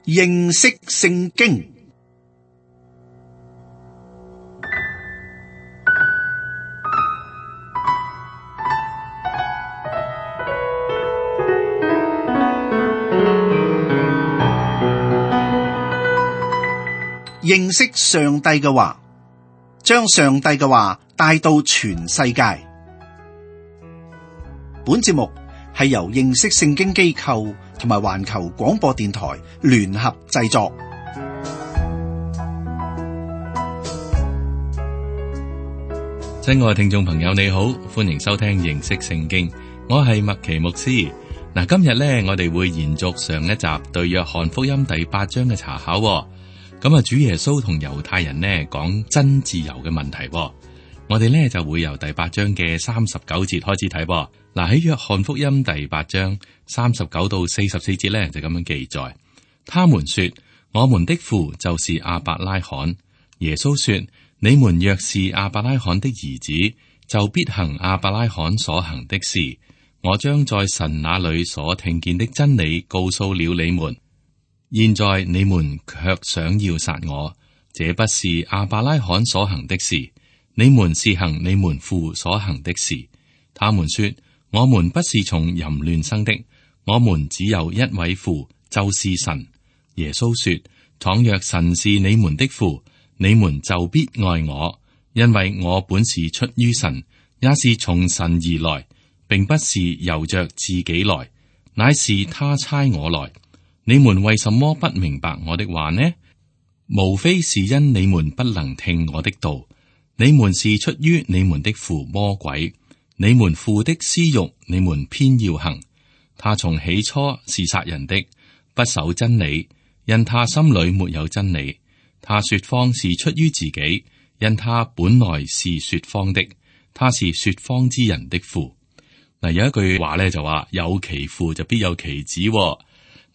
認識聖經。認識上帝嘅話，將上帝嘅話帶到全世界。本節目係由認識聖經機構同埋環球廣播電台聯合製作。親愛嘅聽眾朋友，你好，歡迎收聽認識聖經，我係麥奇牧師。嗱，今日呢，我哋會延續上一集對約翰福音第8章嘅查考。咁啊，主耶穌同猶太人呢講真自由嘅問題。我哋呢就會由第8章嘅39節開始睇。嗱，喺約翰福音第8章39到44節呢就咁樣記載。他們說，我們的父就是亞伯拉罕。耶穌說，你們若是亞伯拉罕的兒子，就必行亞伯拉罕所行的事。我將在神那裏所聽見的真理告訴了你們。現在你們卻想要殺我，這不是亞伯拉罕所行的事，你們是行你們父所行的事。他們說，我們不是從淫亂生的，我們只有一位父，就是神。耶穌說，倘若神是你們的父，你們就必愛我，因為我本是出於神，也是從神而來，並不是由着自己來，乃是他差我來。你們為什麼不明白我的話呢？無非是因你們不能聽我的道。你們是出於你們的父魔鬼，你們父的私欲，你們偏要行。他從起初是殺人的，不守真理，因他心裏沒有真理。他說謊是出於自己，因他本來是說謊的。他是說謊之人的父。嗱，有一句話咧就話，有其父就必有其子。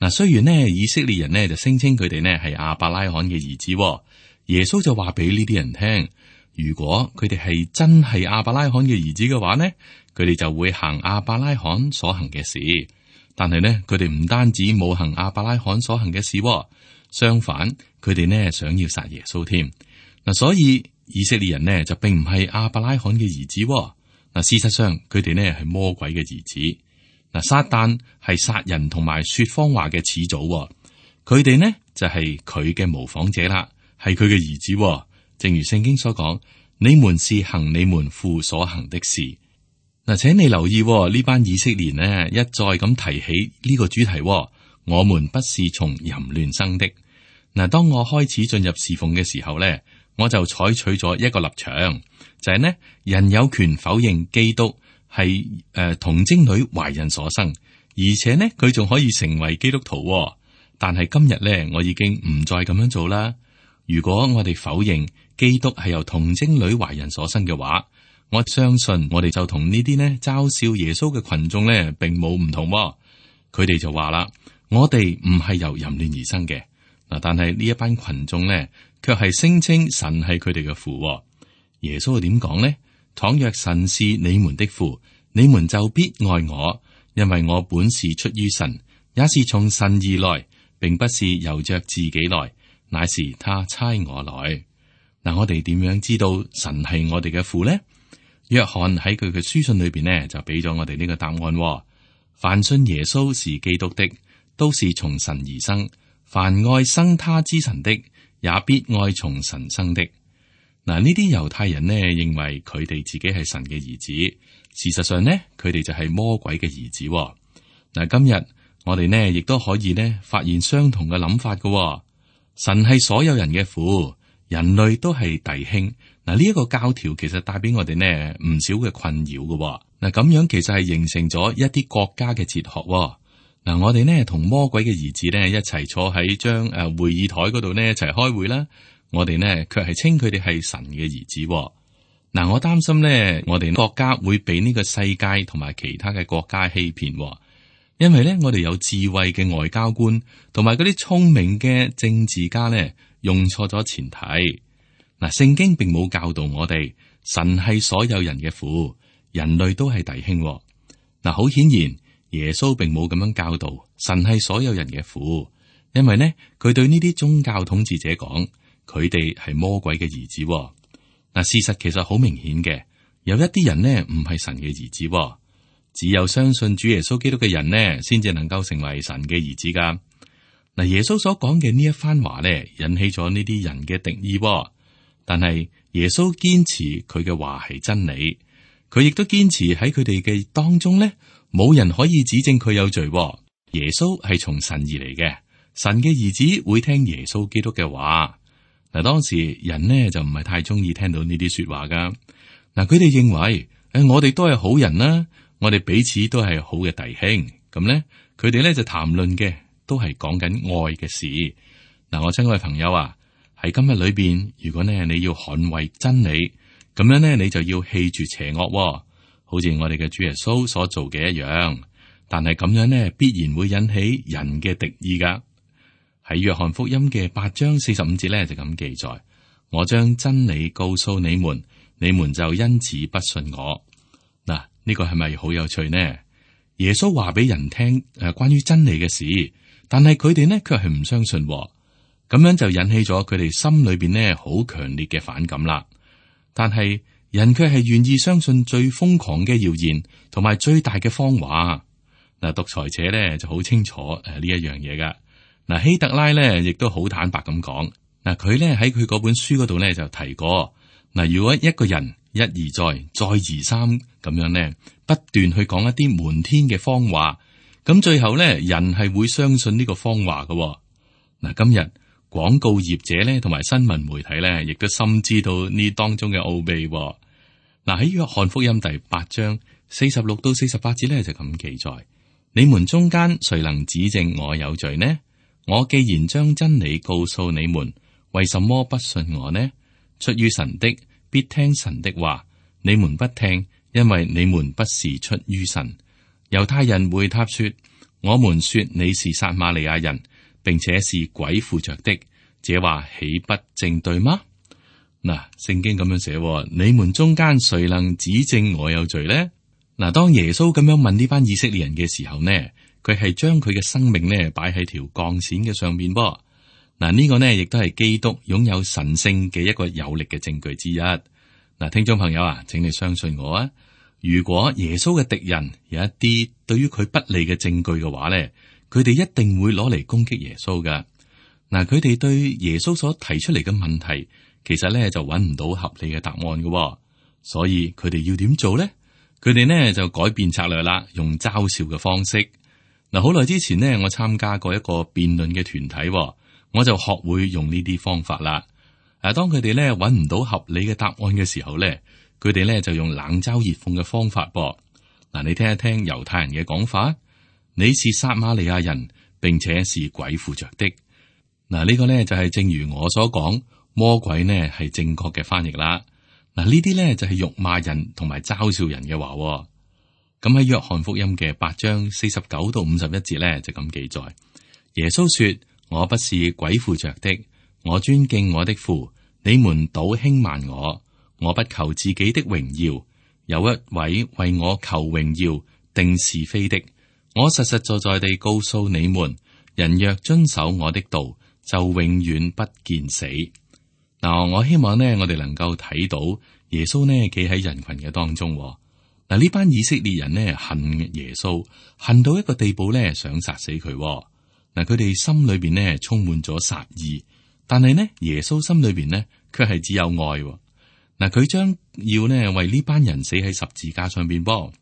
嗱，雖然呢以色列人呢就聲稱佢哋呢係亞伯拉罕嘅兒子，耶穌就話俾呢啲人聽，如果佢哋係真係亞伯拉罕嘅兒子嘅話呢，佢哋就會行亞伯拉罕所行嘅事。但係呢，佢哋唔單止冇行亞伯拉罕所行嘅事，相反，佢哋呢想要殺耶穌添。嗱，所以以色列人呢就並唔係亞伯拉罕嘅兒子。嗱，事實上佢哋呢係魔鬼嘅兒子。嗱，撒旦係殺人同埋說謊話嘅始祖，佢哋呢就係佢嘅模仿者啦，係佢嘅兒子。正如聖經所講，你們是行你們父所行的事。嗱，請你留意呢班以色列呢一再咁提起呢個主題，我們不是從淫亂生的。嗱，當我開始進入侍奉嘅時候呢，我就採取咗一個立場，就係呢，人有權否認基督係童貞女懷孕所生，而且呢佢仲可以成為基督徒。但係今日呢，我已經唔再咁樣做啦。如果我哋否認基督係由童貞女懷孕所生嘅話，我相信我哋就同呢啲呢嘲笑耶穌嘅群眾呢並冇唔同。佢哋就話啦，我哋唔係由淫亂而生嘅。嗱，但係呢一班群眾呢，卻係聲稱神係佢哋嘅父。耶穌係點講呢？倘若神是你們的父，你們就必愛我，因為我本是出於神，也是從神而來，並不是由着自己來，乃是他差我來。嗱，我哋點樣知道神係我哋嘅父呢？約翰喺佢嘅書信裏邊呢，就俾咗我哋呢個答案。凡信耶穌是基督的，都是從神而生；凡愛生他之神的，也必愛從神生的。嗱，呢啲猶太人呢認為佢哋自己係神嘅兒子，事實上呢，佢哋就係魔鬼嘅兒子。嗱，今日我哋呢亦都可以呢發現相同嘅諗法嘅。神係所有人嘅父，人類都係弟兄。嗱，呢一個教條其實帶俾我哋呢唔少嘅困擾嘅。嗱，咁樣其實係形成咗一啲國家嘅哲學。嗱，我哋呢同魔鬼嘅兒子呢一齊坐喺張會議台嗰度呢一齊開會啦。我哋呢卻係稱佢哋係神嘅兒子。嗱，我擔心呢，我哋國家會被呢個世界同埋其他嘅國家欺騙，因為呢，我哋有智慧嘅外交官同埋嗰啲聰明嘅政治家呢，用錯咗前提。嗱，聖經並冇教導我哋神係所有人嘅父，人類都係弟兄。嗱，好顯然，耶穌並冇咁樣教導神係所有人嘅父。因為呢，佢對呢啲宗教統治者講，佢哋係魔鬼嘅兒子。嗱，事實其實好明顯嘅，有一啲人呢唔係神嘅兒子，只有相信主耶穌基督嘅人呢，先至能夠成為神嘅兒子噶。嗱，耶穌所講嘅呢一番話呢，引起咗呢啲人嘅敵意，但係耶穌堅持佢嘅話係真理，佢亦都堅持喺佢哋嘅當中呢，冇人可以指證佢有罪。耶穌係從神而嚟嘅，神嘅兒子會聽耶穌基督嘅話。嗱，當時人呢就唔係太中意聽到呢啲說話噶。嗱，佢哋認為我哋都係好人啦，我哋彼此都係好嘅弟兄。咁呢，佢哋咧就談論嘅都係講緊愛嘅事。嗱，我親愛嘅朋友啊，喺今日裏邊，如果呢你要捍衛真理，咁樣呢你就要棄絕邪惡，好似我哋嘅主耶穌所做嘅一樣。但係咁樣呢，必然會引起人嘅敵意噶。喺約翰福音嘅8章45節咧就咁記載：我將真理告訴你們，你們就因此不信我。嗱，呢個係咪好有趣呢？耶穌話俾人聽關於真理嘅事，但係佢哋呢卻係唔相信，咁樣就引起咗佢哋心裏邊呢好強烈嘅反感啦。但係人卻係願意相信最瘋狂嘅謠言同埋最大嘅謊話。嗱，獨裁者咧就好清楚呢一樣嘢噶。嗱，希特拉咧亦都好坦白咁講。嗱，佢咧喺佢嗰本書嗰度咧就提過。嗱，如果一個人一而再，再而三咁樣咧，不斷去講一啲瞞天嘅謊話，咁最後咧人係會相信呢個謊話嘅。嗱，今日廣告業者咧同埋新聞媒體咧，亦都深知道呢當中嘅奧秘。嗱，喺約翰福音第8章46到48節咧就咁記載：你們中間誰能指證我有罪呢？我既然將真理告訴你們，為什麼不信我呢？出於神的必聽神的話，你們不聽，因為你們不是出於神。猶太人回答說：我們說你是撒瑪利亞人，並且是鬼附着的，這話豈不正對嗎？嗱，聖經咁樣寫：你們中間誰能指證我有罪呢？嗱，當耶穌咁樣問呢班以色列人嘅時候呢，佢係將佢嘅生命呢擺喺條鋼線嘅上面噃。嗱，呢個呢亦都係基督擁有神性嘅一個有力嘅證據之一。嗱，聽眾朋友啊，請你相信我啊，如果耶穌嘅敵人有一啲對於佢不利嘅證據嘅話呢，佢哋一定會攞嚟攻擊耶穌噶。嗱，佢哋對耶穌所提出嚟嘅問題，其實呢就揾唔到合理嘅答案嘅，所以佢哋要點做呢？佢哋呢就改變策略啦，用嘲笑嘅方式。嗱，好耐之前呢，我參加過一個辯論嘅團體，我就學會用呢啲方法啦。當佢哋呢揾唔到合理嘅答案嘅時候呢，佢哋呢就用冷嘲熱諷嘅方法噃。嗱，你聽一聽猶太人嘅講法：你是撒瑪利亞人，並且是鬼附着的。嗱，呢個呢就係正如我所講，魔鬼呢係正確嘅翻譯啦。嗱，呢啲咧就係辱罵人同埋嘲笑人嘅話。咁喺約翰福音嘅8章49到51節咧就咁記載：耶穌說：我不是鬼附着的，我尊敬我的父，你們倒輕慢我。我不求自己的榮耀，有一位為我求榮耀定是非的。我實實在在地告訴你們，人若遵守我的道，就永遠不見死。嗱，我希望呢，我哋能夠睇到耶穌呢企喺人群嘅當中。嗱，呢班以色列人呢恨耶穌，恨到一個地步呢，想殺死佢。嗱，佢哋心裏邊呢充滿咗殺意，但係呢耶穌心裏邊呢卻係只有愛。嗱，佢將要呢為呢班人死喺十字架上邊噃。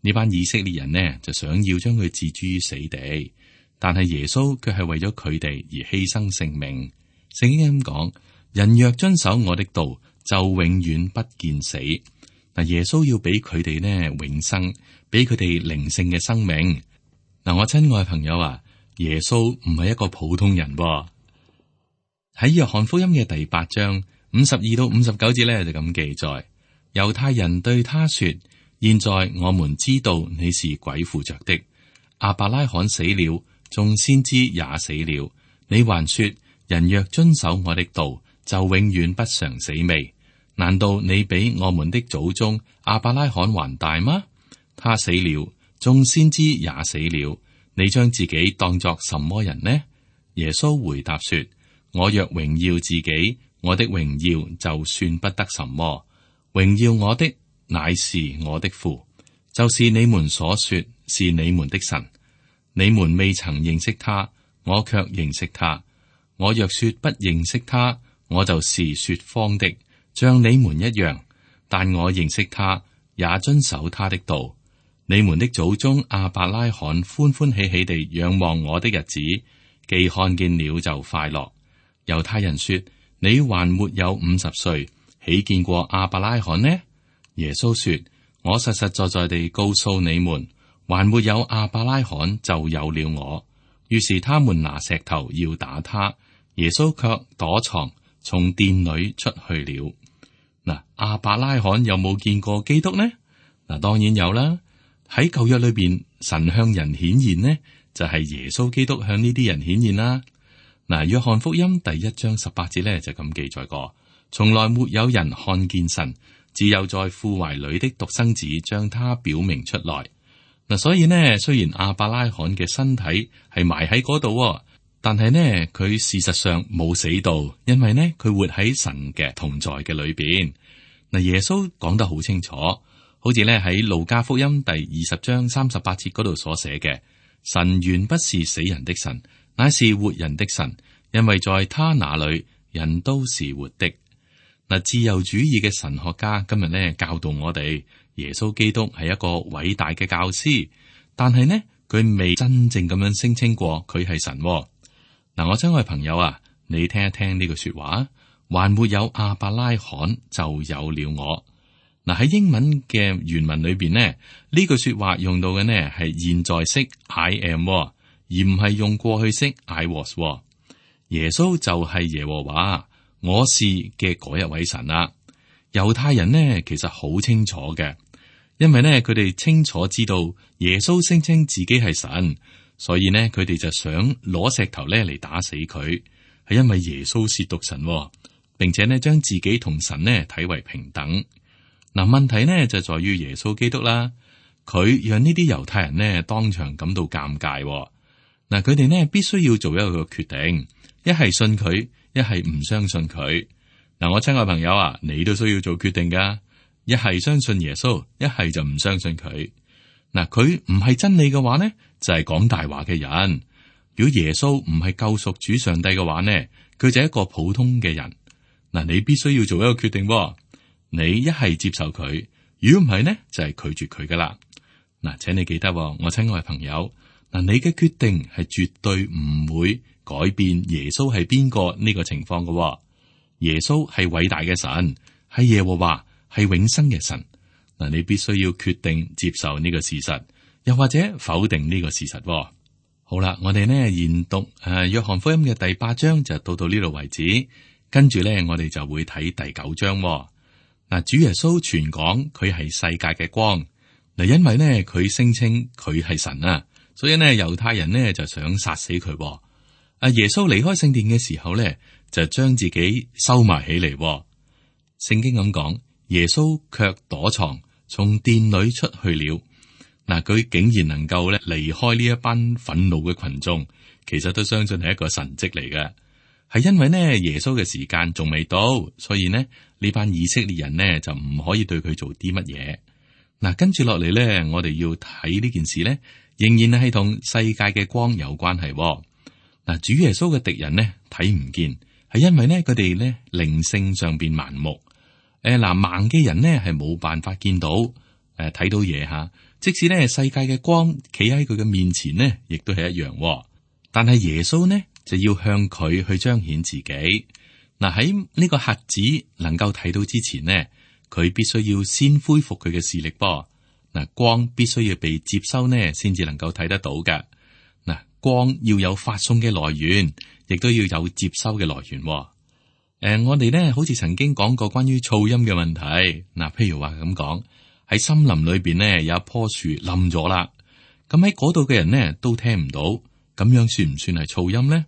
呢班以色列人呢就想要將佢置諸於死地，但係耶穌卻係為咗佢哋而犧牲性命。聖經咁講：人若遵守我的道，就永遠不見死。嗱，耶穌要俾佢哋呢永生，俾佢哋靈性嘅生命。嗱，我親愛嘅朋友啊，耶穌唔係一個普通人噃。喺約翰福音嘅第8章52到59節咧就咁記載：猶太人對他說：現在我們知道你是鬼附着的。亞伯拉罕死了，眾先知也死了，你還說人若遵守我的道，就永遠不嘗死味。難道你比我們的祖宗亞伯拉罕還大嗎？他死了，眾先知也死了，你將自己當作什麼人呢？耶穌回答說：我若榮耀自己，我的榮耀就算不得什麼。榮耀我的乃是我的父，就是你們所說是你們的神。你們未曾認識他，我卻認識他。我若說不認識他，我就是說謊的，像你們一樣。但我認識他，也遵守他的道。你們的祖宗亞伯拉罕歡歡喜喜地仰望我的日子，既看見了就快樂。猶太人說：你還沒有50歲，豈見過亞伯拉罕呢？耶穌說：我實實在在地告訴你們，還沒有亞伯拉罕就有了我。於是他們拿石頭要打他，耶穌卻躲藏，從殿裏出去了。嗱，亞伯拉罕有冇見過基督呢？嗱，當然有啦。喺舊約裏邊，神向人顯現呢，就係耶穌基督向呢啲人顯現啦。嗱，約翰福音第1章18節咧就咁記載過：從來沒有人看見神，只有在父懷裏的獨生子將他表明出來。嗱，所以呢，雖然亞伯拉罕嘅身體係埋喺嗰度，但係呢，佢事實上冇死到，因為呢，佢活喺神嘅同在嘅裏邊。嗱，耶穌講得好清楚。好似咧喺路加福音第20章38節嗰度所寫嘅，神原不是死人的神，乃是活人的神，因為在他那裏人都是活的。嗱，自由主義嘅神學家今日咧教導我哋，耶穌基督係一個偉大嘅教師，但係呢，佢未真正咁樣聲稱過佢係神。嗱，我親愛朋友啊，你聽一聽呢句說話，還沒有亞伯拉罕就有了我。嗱，喺英文嘅原文裏邊呢，呢句說話用到嘅呢係現在式 I am，而唔係用過去式 I was。耶穌就係耶和華，我是嘅嗰一位神啦。猶太人呢其實好清楚嘅，因為呢佢哋清楚知道耶穌聲稱自己係神，所以呢佢哋就想攞石頭咧嚟打死佢，係因為耶穌褻瀆神，並且呢將自己同神呢睇為平等。嗱，問題呢就在於耶穌基督啦，佢讓呢啲猶太人呢當場感到尷尬。嗱，佢哋呢必須要做一個決定，一係信佢，一係唔相信佢。嗱，我親愛朋友啊，你都需要做決定噶，一係相信耶穌，一係就唔相信佢。嗱，佢唔係真理嘅話呢，就係講大話嘅人。如果耶穌唔係救贖主上帝嘅話呢，佢就係一個普通嘅人。嗱，你必須要做一個決定。你一係接受佢，如果唔係呢，就係拒絕佢噶啦。嗱，請你記得，我親愛朋友，嗱，你嘅決定係絕對唔會改變耶穌係邊個呢個情況噶。耶穌係偉大嘅神，係耶和華，係永生嘅神。嗱，你必須要決定接受呢個事實，又或者否定呢個事實。好啦，我哋呢研讀約翰福音嘅第8章就到呢度為止，跟住呢，我哋就會睇第9章。嗱，主耶穌傳講佢係世界嘅光。嗱，因為呢，佢聲稱佢係神啊，所以呢，猶太人呢就想殺死佢。耶穌離開聖殿嘅時候呢，就將自己收埋起嚟。聖經咁講，耶穌卻躲藏，從殿裏出去了。嗱，佢竟然能夠咧離開呢一班憤怒嘅群眾，其實都相信係一個神蹟嚟嘅。係因為呢，耶穌嘅時間仲未到，所以呢班以色列人呢就唔可以對佢做啲乜嘢。嗱，跟住落嚟呢，我哋要睇呢件事呢，仍然係同世界嘅光有關係。嗱，主耶穌嘅敵人呢睇唔見，係因為呢佢哋呢靈性上邊盲目。盲嘅人呢係冇辦法見到睇到嘢吓，即使呢世界嘅光企喺佢嘅面前呢，亦都係一樣。但係耶穌呢就要向佢去彰顯自己。嗱，喺呢個瞎子能夠睇到之前呢，佢必須要先恢復佢嘅視力噃。嗱，光必須要被接收呢，先至能夠睇得到嘅。嗱，光要有發送嘅來源，亦都要有接收嘅來源。我哋呢好似曾經講過關於噪音嘅問題。嗱，譬如話咁講，喺森林裏邊呢有一棵樹冧咗啦，咁喺嗰度嘅人呢都聽唔到，咁樣算唔算係噪音呢？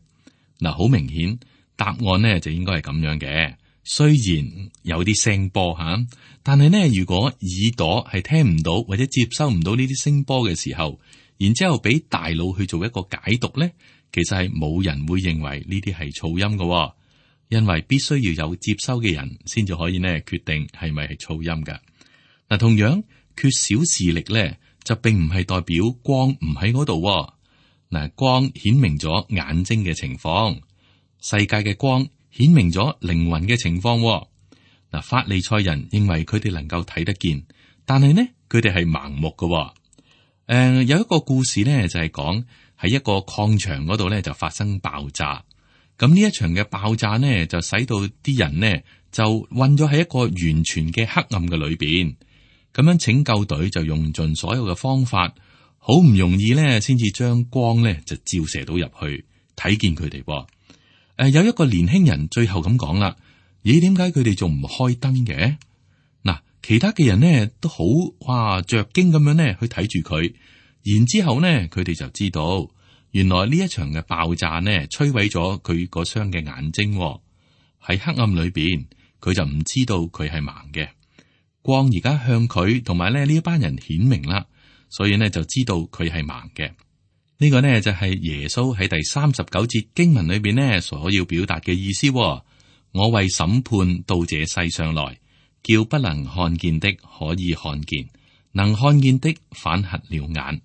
嗱，好明顯答案呢就應該係咁樣嘅。雖然有啲聲波吓，但係呢，如果耳朵係聽唔到或者接收唔到呢啲聲波嘅時候，然之後俾大腦去做一個解讀呢，其實係冇人會認為呢啲係噪音嘅，因為必須要有接收嘅人先至可以呢決定係咪係噪音嘅。嗱，同樣缺少視力咧，就並唔係代表光唔喺嗰度。嗱，光顯明咗眼睛嘅情況，世界嘅光顯明咗靈魂嘅情況。嗱，法利賽人認為佢哋能夠睇得見，但係呢，佢哋係盲目嘅。有一個故事呢，就係講喺一個礦場嗰度呢，就發生爆炸。咁呢一場嘅爆炸呢，就使到啲人呢就困咗喺一個完全嘅黑暗嘅裏邊。咁樣拯救隊就用盡所有嘅方法，好唔容易呢先至將光呢就照射到入去，睇見佢哋。有一個年輕人最後咁講啦：咦，點解佢哋仲唔開燈嘅？嗱，其他嘅人呢都好着驚咁樣呢去睇住佢，然之後呢佢哋就知道，原來呢一場嘅爆炸呢摧毀咗佢嗰雙嘅眼睛。喺黑暗裏邊，佢就唔知道佢係盲嘅。光而家向佢同埋呢一班人顯明啦，所以呢就知道佢係盲嘅。呢個呢就係耶穌喺第39節經文裏邊呢所要表達嘅意思。我為審判到這世上來，叫不能看見的可以看見，能看見的反瞎了眼。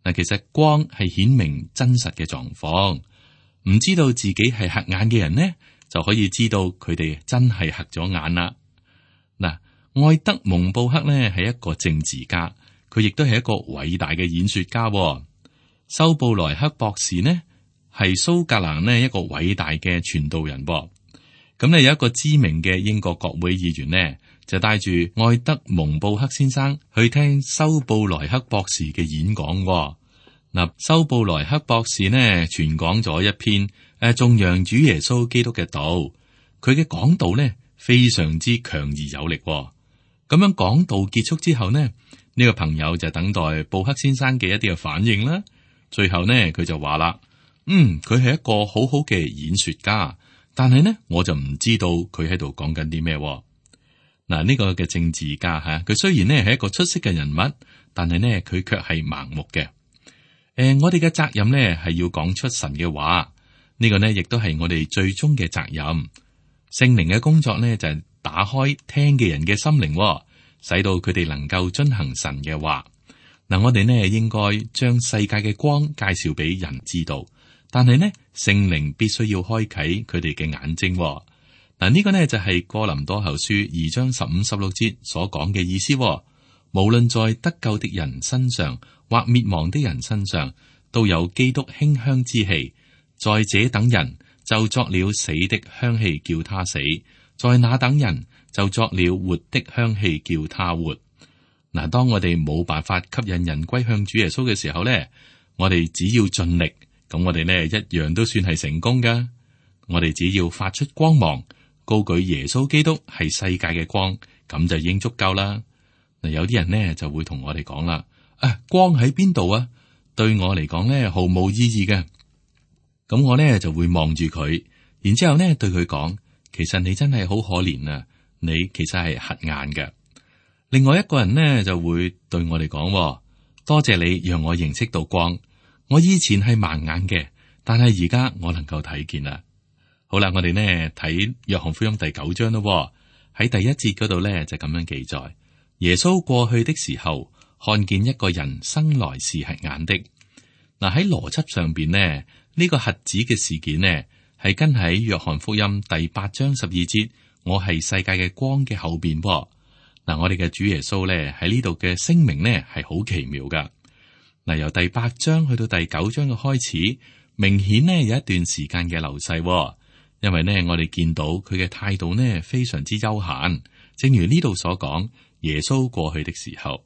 嗱，其實光係顯明真實嘅狀況，唔知道自己係瞎眼嘅人呢，就可以知道佢哋真係瞎咗眼啦。嗱，愛德蒙布克呢係一個政治家，佢亦都係一個偉大嘅演說家。修布萊克博士呢係蘇格蘭呢一個偉大嘅傳道人。咁呢有一個知名嘅英國國會議員呢，就帶住愛德蒙布克先生去聽修布萊克博士嘅演講。嗱，修布萊克博士呢傳講咗一篇頌揚主耶穌基督嘅道，佢嘅講道呢非常之強而有力。咁樣講道結束之後呢，呢個朋友就等待布克先生嘅一啲嘅反應啦。最後呢，佢就話啦：佢係一個好好嘅演說家，但係呢，我就唔知道佢喺度講緊啲咩。嗱，呢個嘅政治家吓，佢雖然呢係一個出色嘅人物，但係呢，佢卻係盲目嘅。我哋嘅責任呢係要講出神嘅話，呢個呢亦都係我哋最終嘅責任。聖靈嘅工作呢就係打開聽嘅人嘅心靈，使到佢哋能夠遵行神嘅話。嗱，我哋呢應該將世界嘅光介紹俾人知道，但係呢聖靈必須要開啟佢哋嘅眼睛。嗱，呢個呢就係哥林多後書2章15、16節所講嘅意思。無論在得救的人身上或滅亡的人身上，都有基督馨香之氣。在這等人就作了死的香氣，叫他死；在那等人就作了活的香氣，叫他活。嗱，當我哋冇辦法吸引人歸向主耶穌嘅時候呢，我哋只要盡力，咁我哋呢一樣都算係成功噶。我哋只要發出光芒，高舉耶穌基督係世界嘅光，咁就已經足夠啦。嗱，有啲人呢就會同我哋講啦：光喺邊度啊？對我嚟講呢，毫無意義嘅。咁我呢就會望住佢，然之後呢對佢講：其實你真係好可憐啊！你其實係瞎眼嘅。另外一個人呢就會對我哋講：多謝你讓我認識到光。我以前係盲眼嘅，但係而家我能夠睇見啦。好啦，我哋呢睇約翰福音第9章咯。喺第1節嗰度呢就咁樣記載：耶穌過去的時候，看見一個人生來是瞎眼的。嗱，喺邏輯上邊呢，呢個瞎子嘅事件呢係跟喺約翰福音第8章12節，我係世界嘅光嘅後邊。嗱，我哋嘅主耶穌咧喺呢度嘅聲明呢係好奇妙噶。嗱，由第8章去到第9章嘅開始，明顯呢有一段時間嘅流逝，因為呢我哋見到佢嘅態度呢非常之悠閒，正如呢度所講，耶穌過去的時候，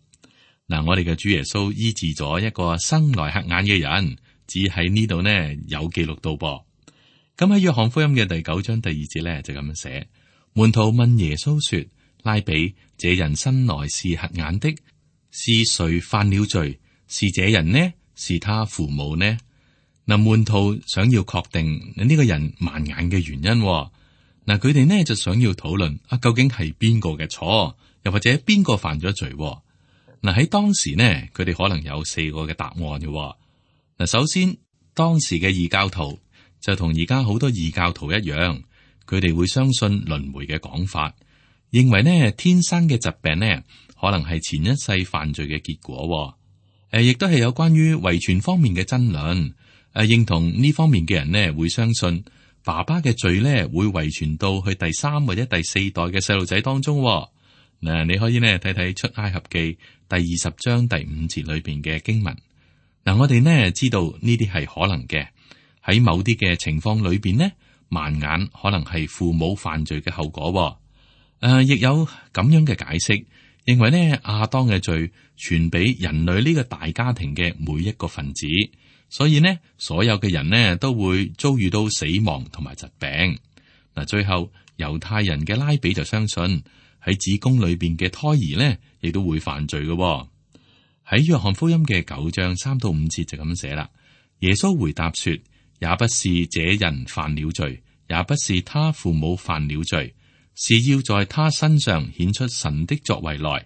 嗱，我哋嘅主耶穌醫治咗一個生來瞎眼嘅人，只喺呢度呢有記錄到噃。咁喺約翰福音嘅第9章第2節呢就咁樣寫：門徒問耶穌說，拉比，這人生來是瞎眼的，是誰犯了罪？是這人呢？是他父母呢？嗱，門徒想要確定呢個人盲眼嘅原因。嗱，佢哋呢就想要討論究竟係邊個嘅錯，又或者邊個犯咗罪？嗱，喺當時呢，佢哋可能有4個嘅答案嘅。嗱，首先當時嘅異教徒就同而家好多異教徒一樣，佢哋會相信輪迴嘅講法，認為呢天生嘅疾病呢可能係前一世犯罪嘅結果。亦都係有關於遺傳方面嘅爭論。認同呢方面嘅人呢會相信爸爸嘅罪呢會遺傳到去第3或者第4代嘅細路仔當中。嗱，你可以呢睇睇出埃及記第20章第5節裏邊嘅經文。嗱，我哋呢知道呢啲係可能嘅，喺某啲嘅情況裏邊呢，盲眼可能係父母犯罪嘅後果。亦有咁樣嘅解釋，認為呢亞當嘅罪傳俾人類呢個大家庭嘅每一個分子，所以呢所有嘅人呢都會遭遇到死亡同埋疾病。嗱，最後猶太人嘅拉比就相信喺子宮裏邊嘅胎兒呢亦都會犯罪嘅。喺約翰福音嘅9章3到5節就咁寫啦。耶穌回答說：也不是這人犯了罪，也不是他父母犯了罪，是要在他身上顯出神的作為來。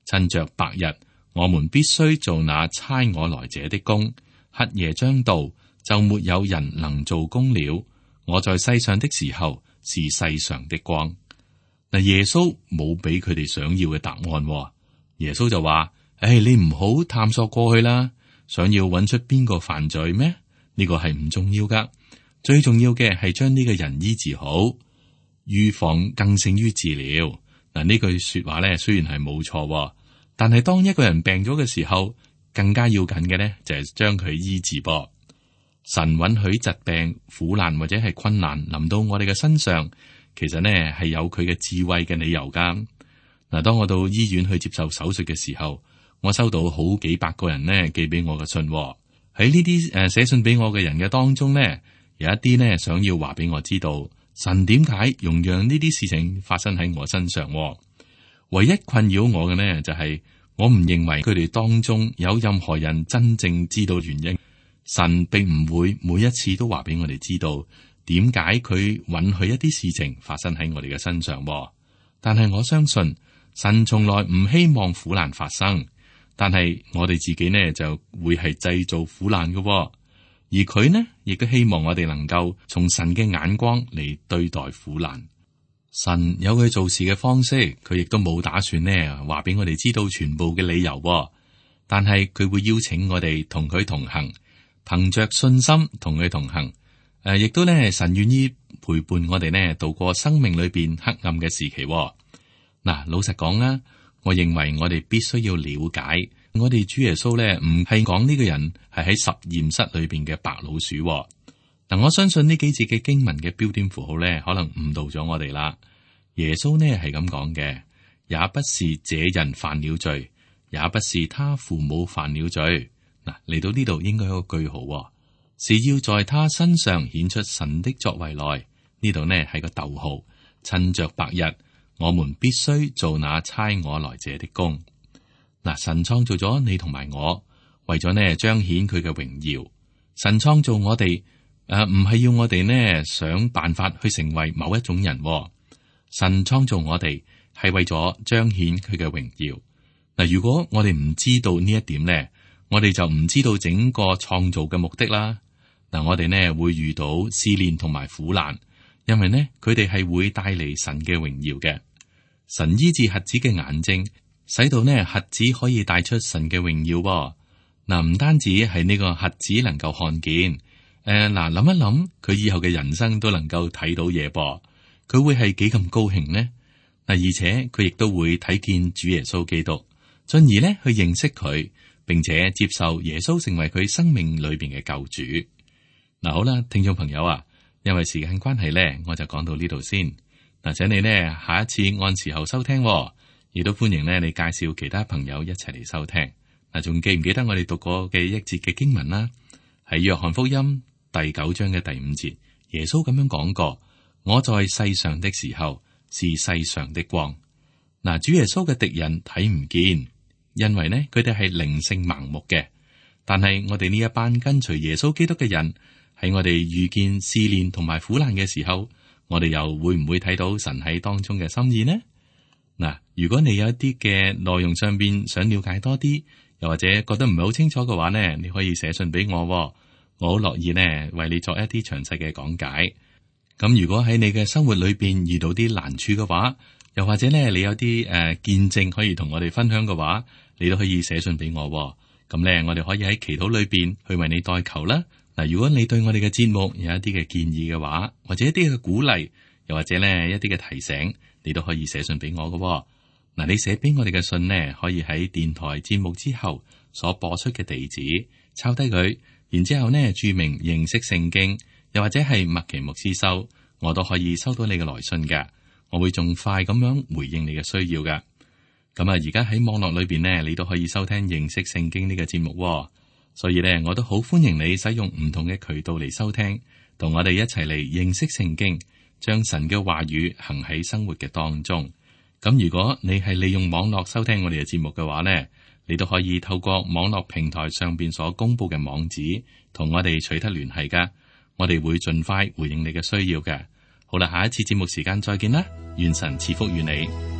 趁着白日，我們必須做那差我來者的工；黑夜將到，就沒有人能做工了。我在世上的時候是世上的光。嗱，耶穌冇俾佢哋想要嘅答案。耶穌就話：你唔好探索過去啦，想要揾出邊個犯罪咩？呢個係唔重要噶，最重要嘅係將呢個人醫治好。預防更勝於治療。嗱，呢句說話咧，雖然係冇錯，但係當一個人病咗嘅時候，更加要緊嘅咧就係將佢醫治噃。神允許疾病、苦難或者係困難臨到我哋嘅身上，其實呢係有佢嘅智慧嘅理由噶。嗱，當我到醫院去接受手術嘅時候，我收到好幾百個人呢寄俾我嘅信。喺呢啲寫信俾我嘅人嘅當中呢，有一啲呢想要話俾我知道神點解容讓呢啲事情發生喺我身上。唯一困擾我嘅呢就係我唔認為佢哋當中有任何人真正知道原因。神並唔會每一次都話俾我哋知道點解佢允許一啲事情發生喺我哋嘅身上。但係我相信神從來唔希望苦難發生。但係我哋自己呢就會係製造苦難嘅，而佢呢亦都希望我哋能夠從神嘅眼光嚟對待苦難。神有佢做事嘅方式，佢亦都冇打算呢話俾我哋知道全部嘅理由，但係佢會邀請我哋同佢同行，憑着信心同佢同行。亦都呢神願意陪伴我哋呢度過生命裏邊黑暗嘅時期。嗱，老實講啦。我認為我哋必須要了解，我哋主耶穌咧唔係講呢個人係喺實驗室裏邊嘅白老鼠。嗱，我相信呢幾節嘅經文嘅標點符號咧，可能誤導咗我哋啦。耶穌呢係咁講嘅，也不是這人犯了罪，也不是他父母犯了罪。嗱，嚟到呢度應該有個句號，是要在他身上顯出神的作為來。呢度呢係個逗號，趁着白日。我們必須做那差我來者的工。嗱，神創造咗你同埋我，為咗呢彰顯佢嘅榮耀。神創造我哋，唔係要我哋呢想辦法去成為某一種人。神創造我哋係為咗彰顯佢嘅榮耀。嗱，如果我哋唔知道呢一點呢，我哋就唔知道整個創造嘅目的啦。嗱，我哋呢會遇到試煉同埋苦難，因為呢佢哋係會帶嚟神嘅榮耀嘅。神醫治瞎子嘅眼睛，使到呢瞎子可以帶出神嘅榮耀。嗱，唔單止係呢個瞎子能夠看見，諗一諗佢以後嘅人生都能夠睇到嘢噃，佢會係幾咁高興呢？嗱，而且佢亦都會睇見主耶穌基督，進而呢去認識佢，並且接受耶穌成為佢生命裏邊嘅救主。嗱，好啦，聽眾朋友啊，因為時間關係呢，我就講到呢度先。嗱，請你呢下一次按時候收聽，亦都歡迎呢你介紹其他朋友一齊嚟收聽。嗱，仲記唔記得我哋讀過嘅一節嘅經文啦？喺約翰福音第9章嘅第5節，耶穌咁樣講過：我在世上的時候是世上的光。嗱，主耶穌嘅敵人睇唔見，因為呢佢哋係靈性盲目嘅。但係我哋呢一班跟隨耶穌基督嘅人，喺我哋遇見試煉同埋苦難嘅時候，我哋又會唔會睇到神喺當中嘅心意呢？嗱，如果你有一啲嘅內容上邊想了解多啲，又或者覺得唔係好清楚嘅話呢，你可以寫信俾我，我好樂意呢為你作一啲詳細嘅講解。咁如果喺你嘅生活裏邊遇到啲難處嘅話，又或者呢你有啲見證可以同我哋分享嘅話，你都可以寫信俾我。咁呢，我哋可以喺祈禱裏邊去為你代求啦。嗱，如果你對我哋嘅節目有一啲嘅建議嘅話，或者一啲嘅鼓勵，又或者呢一啲嘅提醒，你都可以寫信俾我嘅。嗱，你寫俾我哋嘅信呢，可以喺電台節目之後所播出嘅地址抄低佢，然之後呢注明認識聖經，又或者係麥奇牧師收，我都可以收到你嘅來信嘅。我會盡快咁樣回應你嘅需要嘅。咁啊，而家喺網絡裏邊呢，你都可以收聽認識聖經呢個節目，所以呢，我都好歡迎你使用唔同嘅渠道嚟收聽，同我哋一齊嚟認識聖經，將神嘅話語行喺生活嘅當中。咁如果你係利用網絡收聽我哋嘅節目嘅話呢，你都可以透過網絡平台上邊所公布嘅網址，同我哋取得聯繫噶。我哋會盡快回應你嘅需要嘅。好啦，下一次節目時間再見啦，願神賜福於你。